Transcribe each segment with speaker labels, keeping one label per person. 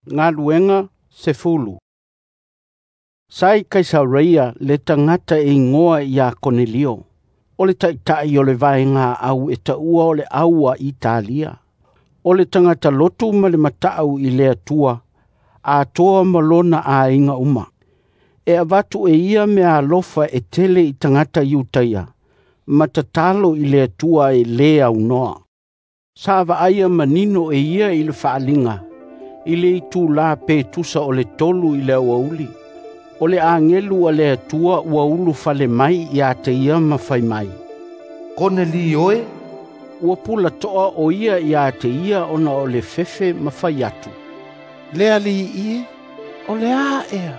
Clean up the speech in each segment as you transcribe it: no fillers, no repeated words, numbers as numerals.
Speaker 1: Galuega 10. Sa i Kaisareia le tagata e igoa ia Konelio, o le taitai o le vaega au e taua o le au a Italia. O le tagata lotu ma le mata'u i le Atua, atoa ma lona aiga uma. E avatu e ia meaalofa e tele i tagata Iutaia, ma tatalo i le Atua e lē aunoa. Sa vaaia manino e ia i le faaaliga, i le itula pe tusa o le 3 i le aoauli, o le agelu a le Atua ua ulufale mai ia te ia ma fai mai,
Speaker 2: “Konelio e!”
Speaker 1: Ua pulatoa o ia ia te ia ona o le fefe ma fai atu,
Speaker 3: “Le Alii e, o le a ea?”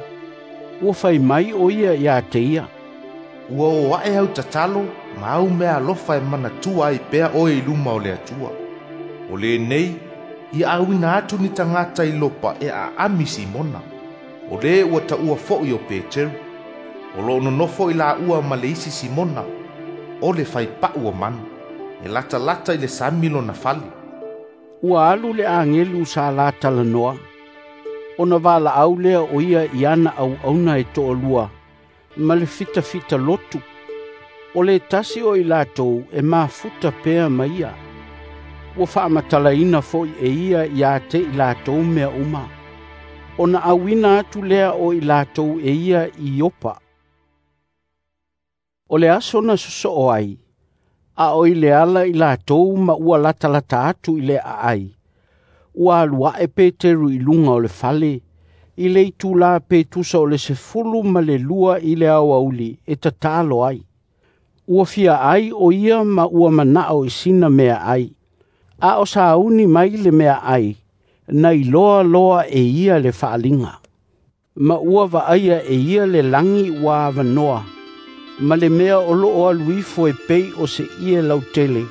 Speaker 1: Ua fai mai o ia ia te ia,
Speaker 2: “Ua oo ae au tatalo ma au meaalofa e manatua ai pea oe i luma o le Atua. O lenei, ia auina atu ni tagata i Iopa e aami Simona, o le ua taua fo'i o Peteru. O lo o nonofo i laua ma le isi Simona, o le faipa'u o manu. E latalata i le sami lona fale.”
Speaker 1: Ua alu le agelu sa la talanoa, ona valaau lea o ia i ana auauna e toalua ma le fitafita lotu. O le tasi o i latou e mafuta pea ma ia. Ua faamatalaina foi e ia ia te i latou mea uma, ona auina atu lea o i latou e ia i Iopa. O le aso na sosoo ai, a o i le ala i latou ma ua latalata atu i le aai, ua alu ae Peteru i luga o le fale, i le itula pe tusa o le 12 i le aoauli e tatalo ai. Ua fia ai o ia ma ua manao i sina meaai. A o sauni mai le meaai, na iloa loa e ia le faaaliga. Ma ua vaaia e ia le lagi ua avanoa, ma le mea o loo alu ifo e pei o se ie lautele,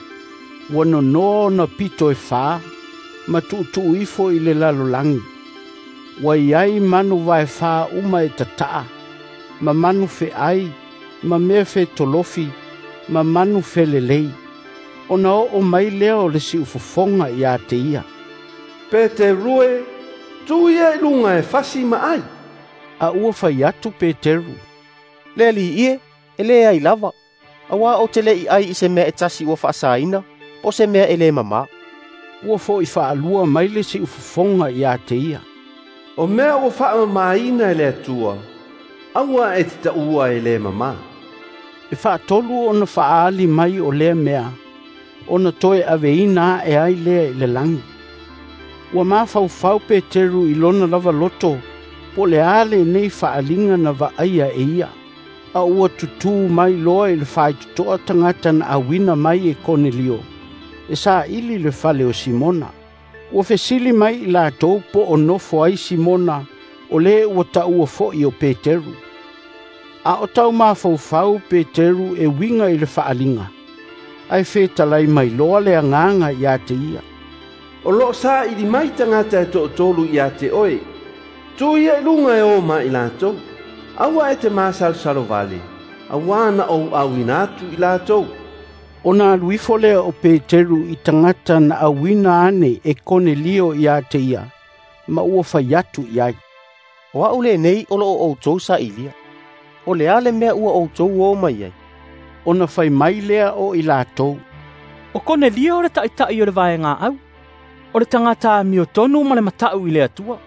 Speaker 1: ua nonoa ona pito e fa, ma tuutuu ifo i le lalolagi. Ua iai manu vaefa uma e tataa, ma manu feai, ma mea fetolofi, ma manu felelei. Ona oo mai lea o le siufofoga ia te ia,
Speaker 3: “Peteru e, tu ia i luga e fasi ma ai.”
Speaker 1: A ua fai atu Peteru,
Speaker 4: “Le Alii e, e leai lava, auā ou te le'i ai i se mea e tasi ua faasaina, po o se mea e lē mamā.”
Speaker 1: Ua fo'i faalua mai le siufofoga ia te ia,
Speaker 3: “O mea ua faamamaina e le Atua, aua e te taua e lē mamā.”
Speaker 1: E faatolu ona faaali mai o lea mea, ona toe aveina ae ai lea i le lagi. Ua mafaufau Peteru i lona lava loto po o le a lenei faaaliga na vaaia e ia, a ua tutū mai loa i le faitotoa tagata na auina mai e Konelio e saili le fale o Simona. Ua fesili mai i latou po o nofo ai Simona o le ua taua fo'i o Peteru. A o tau mafaufau Peteru e uiga i le faaaliga, ae fetalai mai loa le agaga ia te ia,
Speaker 3: “O loo saili mai tagata e toatolu ia te oe. Tu ia i luga e o ma i latou. Aua e te masalosalo vale, auā na ou auina atu i latou.”
Speaker 1: Ona alu ifo lea o Peteru i tagata na auina ane e Konelio ia te ia, ma ua fai atu i ai,
Speaker 4: “O a'u lenei o lo o outou sailia. O le a le mea ua outou o mai ai?”
Speaker 1: Ona fai mai lea o i latou,
Speaker 5: “O Konelio le taitai o le vaega au. O le tagata amiotonu ma le mata'u i le Atua.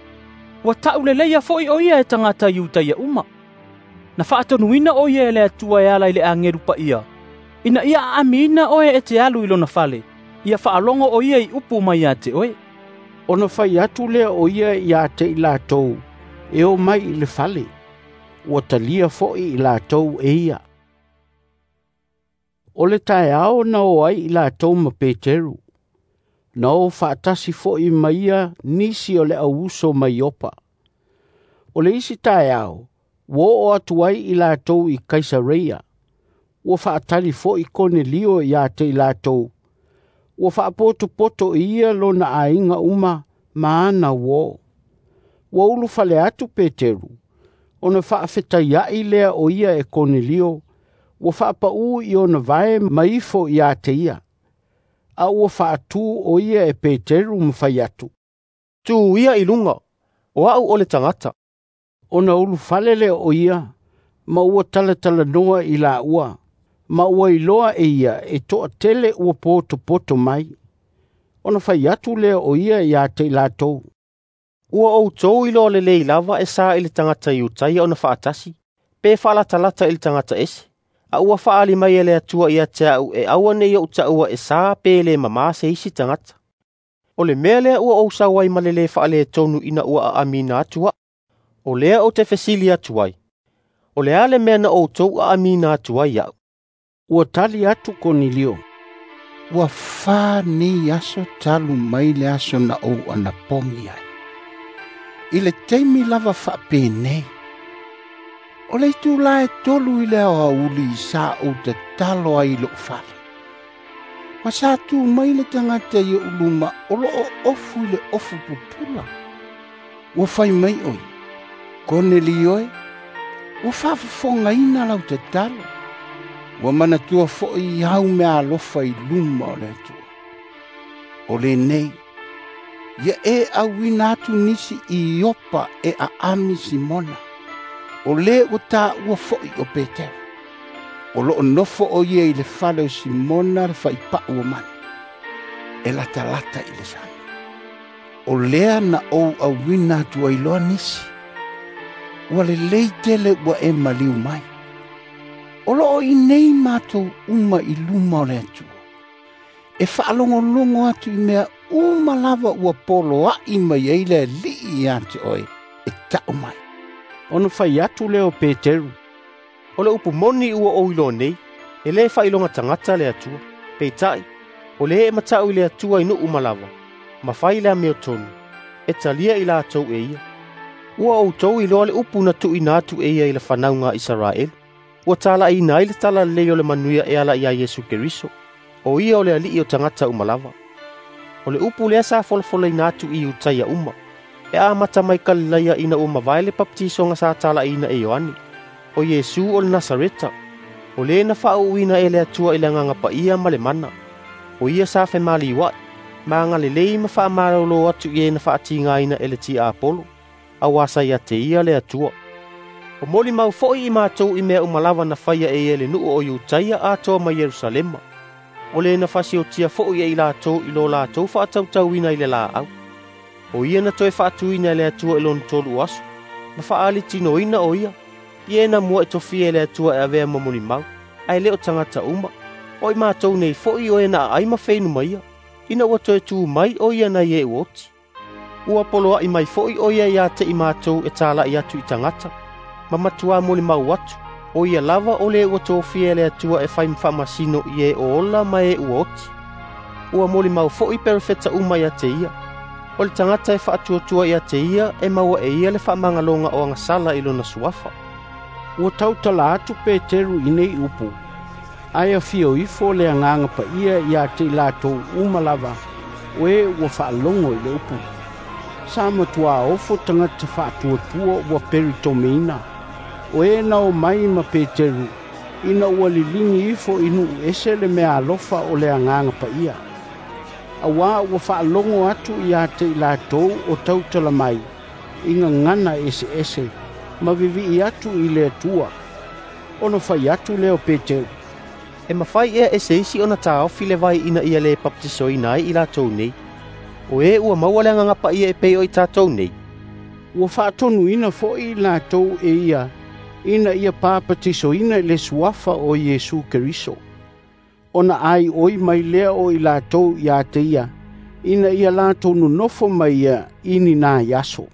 Speaker 5: Ua ta'uleleia fo'i o ia e tagata Iutaia uma. Na faatonuina o ia e le Atua e ala i le agelu paia, ina ia aamiina oe e te alu i lona fale, ia faalogo o ia i upu mai ia te oe.”
Speaker 1: Ona fai atu lea o ia ia te i latou e o mai i le fale. Ua talia fo'i i latou e ia. O le taeao na o ai i latou ma Peteru. Na o faatasi fo'i ma ia nisi o le auuso mai Iopa. O le isi taeao, ua oo atu ai i latou i Kaisareia. Ua faatali fo'i Konelio ia te i latou. Ua faapotopoto e ia lona aiga uma ma ana uō. Ua ulufale atu Peteru, ona faafetaiai lea o ia e Konelio, ua faapaū i ona vae ma ifo ia te ia. A ua faatū o ia e Peteru ma fai atu,
Speaker 4: “Tu ia i luga, O a'u o le tagata.”
Speaker 1: Ona ulufale lea o ia, ma ua talatalanoa i laua, ma ua iloa e ia e toatele ua potopoto mai. Ona fai atu lea o ia ia te i latou,
Speaker 4: “Ua outou iloa lelei lava e sa i le tagata Iutaia ona faatasi, pe faalatalata i le tagata ese, a ua faaali mai e le Atua ia te a'u e aua ne i ou taua e sa pe le mamā se isi tagata. O le mea lea ua ou sau ai ma le lē faaletonu ina ua aamiina atu a'u. O lea ou te fesili atu ai, o le a le mea na outou aamiina atu ai a'u?”
Speaker 1: Ua tali atu Konelio,
Speaker 6: “Ua 4 nei aso talu mai le aso na ou anapogi ai. I le taimi lava faapenei, o le itulā e 3 i le aoauli sa ou tatalo ai i lo'u fale. Ma sa tu mai le tagata i o'u luma o loo ofu i le ofu pupula. Ua fai mai oi, Konelio e, ua faafofogaina lau tatalo. Ua manatua fo'i au mea alofa i luma o le Atua. O lenei, ia e auina atu nisi i Iopa e aami Simona, o le ua tāua fo'i o Petero. O loo nofo o ia i le fale o Simona le faipa'u o manu, e latalata i le sami. O lea na ou auina atu ai loa nisi. Ua lelei tele ua e maliu mai. O loo i nei matou uma i luma o le Atua, e faalogologo atu i mea uma lava ua poloa'i mai ai le Alii ia te oe e ta'u mai.”
Speaker 1: Ona fai atu lea o Peteru,
Speaker 4: “O le upu moni ua ou iloa nei, e lē faailoga tagata le Atua. Peitai, o lē e mata'u i le Atua i nuu uma lava, ma fai le amiotonu, e talia i latou e ia. Ua outou iloa le upu na tuuina atu e ia i le fanauga a Isaraelu, ua tala'iina ai le Talalelei o le Manuia e ala ia Iesu Keriso, o ia o le Alii o tagata uma lava. O le upu lea sa folafolaina atu i Iutaia uma, e amata mai Kalilaia ina ua mavae le papatisoga sa tala'iina e Ioane, o Iesu o le Nasareta, o le na faauuina e le Atua i le Agaga Paia ma le mana. O ia sa femaliua'i, ma agalelei ma faamalolo atu i e na faatigaina e le tiapolo, auā sa ia te ia le Atua. O molimau fo'i i matou i mea uma lava na faia e ia i le nuu o Iutaia atoa ma Ierusalema. O le na fasiotia fo'i e i latou i lo latou faatautauina i le laau. O ia na toe faatuina e le Atua i lona 3 o aso, ma faalitinoina o ia, i e na mua e tofia e le Atua e avea ma molimau, ae le o tagata uma. O i matou nei fo'i o e na aai ma feinu mai ia, ina ua toe tu mai o ia nai e ua oti. Ua poloa'i mai fo'i o ia ia te i matou e tala'i atu i tagata, ma matuā molimau atu, o ia lava o le ua tofia e le Atua e fai ma faamasino i e o ola ma e ua oti. Ua molimau fo'i perofeta uma ia te ia. O le tagata e faatuatua ia te ia e maua e ia le faamagaloga o agasala i lona suafa.”
Speaker 1: Ua tautala atu Peteru i nei upu, ae afio ifo le Agaga Paia ia te i latou uma lava, o e ua faalogo i le upu. Sa matuā ofo tagata faatuatua ua peritomeina, o e na o mai ma Peteru, ina ua liligi ifo i nuu ese le mea alofa o le Agaga Paia. Auā ua faalogo atu ia te i latou o tautala mai, i gagana eseese, ma vivi'i atu i le Atua. Ona fai atu lea o Peteru,
Speaker 4: “E mafai ea e se isi ona taofi le vai ina ia lē papatisoina ai i latou nei, o e ua maua le Agaga Paia e pei o i tatou nei?”
Speaker 1: Ua faatonuina fo'i i latou e ia ina ia papatisoina i le suafa o Iesu Keriso. Ona aioi mai lea o i latou ia te ia, ina ia latou nonofo mai ia i ni nai aso.